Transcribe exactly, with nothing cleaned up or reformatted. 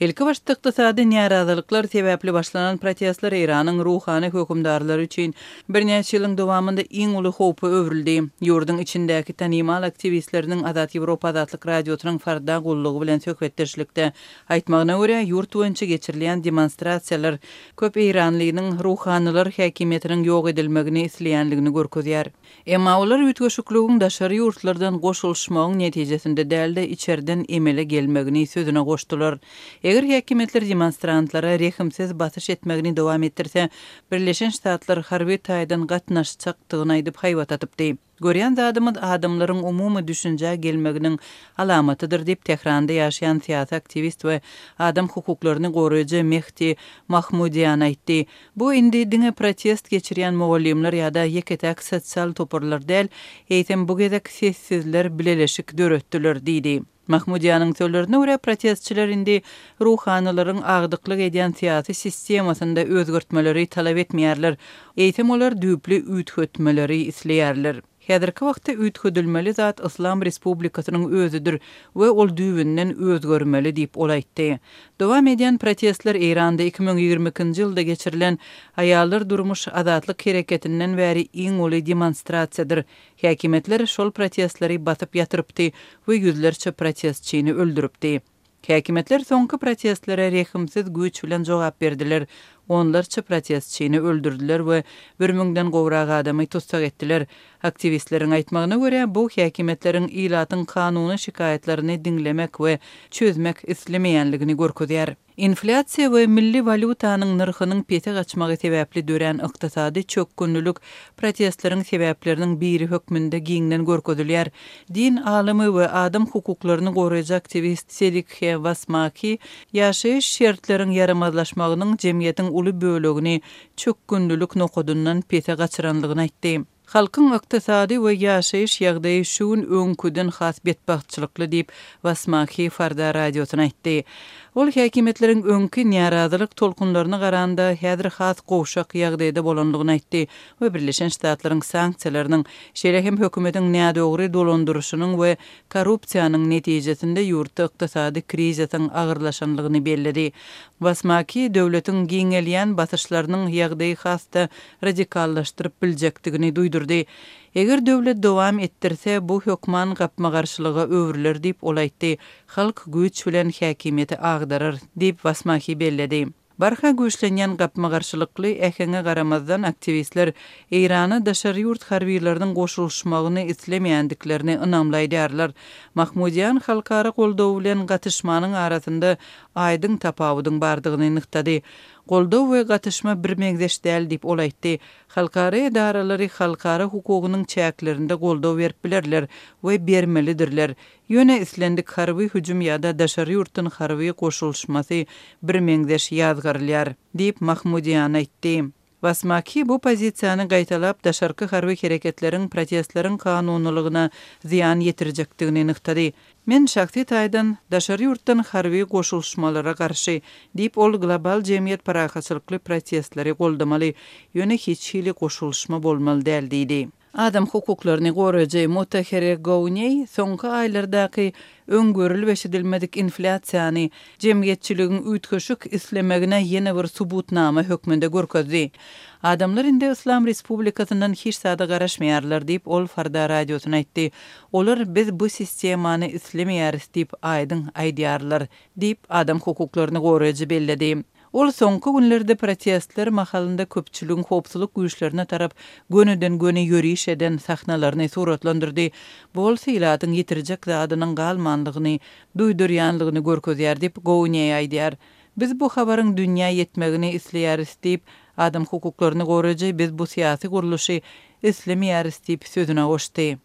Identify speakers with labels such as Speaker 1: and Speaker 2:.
Speaker 1: Ilkibaşda ykdysady närazylyklar sebäpli başlanan protestler Eýranyň ruhany hökümdarlary üçin birnäçe ýylyň dowamynda iň uly howpa öwrüldi. Ýurduň içindäki tanymal aktiwistleriniň Azat Ýewropa Azatlyk Radiosynyň Farda gullugy bilen söhbetdeşlikde aýtmagyna görä, ýurt boýunça geçirilýän demonstrasiýalar köp eýranlynyň ruhanylar häkimiýetiniň ýok edilmegini isleýänligini görkezýär. Emma olar üýtgeşikligiň daşary ýurtlardan goşulyşmagyň netijesinde däl-de içerden emele gelmegini sözüne goşdular. Eger häkimiýetler demonstrantlara rehimsiz basyş etmegini dowam etdirse, Birleşen Ştatlar harby taýdan gatnaşjakdygyny aýdyp haýbat atypdy. Görýän zadymyz adamlaryň umumy düşünjä gelmeginiň alamatydyr diýip Tähranda ýaşaýan syýasy aktiwist we adam hukuklaryny goraýjy Mehdi Mahmudian aýtdy. Bu indi diňe protest geçirýän mugallymlar ýa-da ýeke-täk sosial toparlar däl, eýsem bu gezek sessizler bileleşik döretdiler diýdi. Mahmudianyň sözlerine görä protestçiler indi ruhanylaryň agdyklyk edýän syýasy sistemasynda özgertmeleri talap etmeýärler. Eýsem olar düýpli üýtgetmeleri isleýärler. Häzirki wagtda üýtgedilmeli zat Islam Respublikasynyň özüdir we ol düýbünden özgermeli diýip ol aýtdy. Dowam edýän protestler Eýranda iki müň ýigrimi ikinji ýylda geçirilen Aýallar durmuş azatlyk hereketinden bäri iň uly demonstrasiýadyr. Häkimiýetler şol protestleri basyp ýatyrypdy we ýüzlerçe protestçini öldüripdi. Häkimiýetler soňky protestlere rehimsiz güýç bilen jogap berdiler. Onlarça protestçini öldürdüler we bir müňden gowrak adamy tussag etdiler. Aktiwistleriň aýtmagyna görä, bu häkimiýetleriň ilatyň kanuny şikaýatlaryny diňlemek we çözmek islemeýänligini görkezýär. Inflýasiýa we milli walýutanyň nyrhynyň pese gaçmagy sebäpli dörän ykdysady çökgünlük protestleriň sebäpleriniň biri hökmünde giňden görkezilýär. Din alymy we adam hukuklaryny goraýjy aktiwist Selikhe Wasmaki ýaşaýyş şertleriň ýaramazlaşmagynyň jemgyýetiň uly bölegini çökgünlülük nokadyndan pese gaçyranlygyny aýtdy. Halkyň ykdysady we ýaşaýyş ýagdaýy şu gün öňküden has betbagtçylykly diýip Wasmaki Farda radiosyna aýtdy. Ol häkimiýetleriň öňki närazylyk tolkunlaryna garanda häzir has gowşak ýagdaýda bolanlygyny aýtdy we Birleşen Ştatlaryň sanksiýalarynyň, şeýle hem hökümetiň nädogry dolandyryşynyň we korrupsiýanyň netijesinde ýurtda ykdysady krizisiň agyrlaşanlygyny belledi. Wasmaki döwletiň giňelýän basyşlarynyň ýagdaýy has-da radikallaşdyryp biljekdigini duýdurdy. Eger döwlet dowam etdirse, bu hökman gapma-garşylyga öwrüler diýip ol aýtdy. Halk güýç bilen häkimiýeti agdarar diýip Wasmaki belledi. Barha güýçlenýän gapma-garşylykly äheňe garamazdan aktiwistler Eýrana daşary ýurt harbiýlarynyň goşulyşmagyny islemeýändiklerini ynamlaýarlar. Mahmudian halkara goldawy bilen gatyşmanyň arasynda aýdyň tapawudyň bardygyny nygtady. Goldaw we gatyşma bir meňzeş däl diýip ol aýtdy. Halkara edaralary halkara hukugynyň çäklerinde goldaw berip bilerler we bermelidirler. Ýöne islendik harby hüjüm ýa-da daşary ýurtdan harby goşulyşmasy bir meňzeş ýazgarylýar diýip Mahmudian aýtdy. Wasmaki bu pozisiýany gaýtalap daşarky harby hereketleriň protestleriň kanunylygyna zyýan ýetirjekdigini nygtady. Men şahsy taýdan daşary ýurtdan harby goşulyşmalara garşy diýip ol global jemgyýet parahatçylykly protestleri goldamaly, ýöne hiç hili goşulyşma bolmaly däl diýdi. Adam hukuklaryny goraýjy Mutahere Gowneý soňky aýlardaky öňgörülip eşidilmedik inflýasiýany jemgyýetçiligiň üýtgeşik islemegine ýene bir subutnama hökmünde görkezdi. Adamlar indi Islam Respublikasyndan hiç zada garaşmaýarlar diýip ol Farda radiosyna aýtdy. Olar biz bu sistemany islemeýäris diýip aýdyň aýdýarlar diýip adam hukuklaryny goraýjy belledi. Ol soňky günlerde protestler mahalynda köpçüligiň howpsuzlyk güýçlerine tarap gönüden göni ýöriş eden sahnalaryny suratlandyrdy. Bu bolsa ilatyň ýetirjek zadynyň galmanlygyny, duýdurýanlygyny görkezýär diýip Gowneý aýdýar. Biz bu habaryň dünýä ýetmegini isleýäris diýip adam hukuklaryny goraýjy biz bu syýasy gurluşy islemeýäris diýip sözüne goşdy.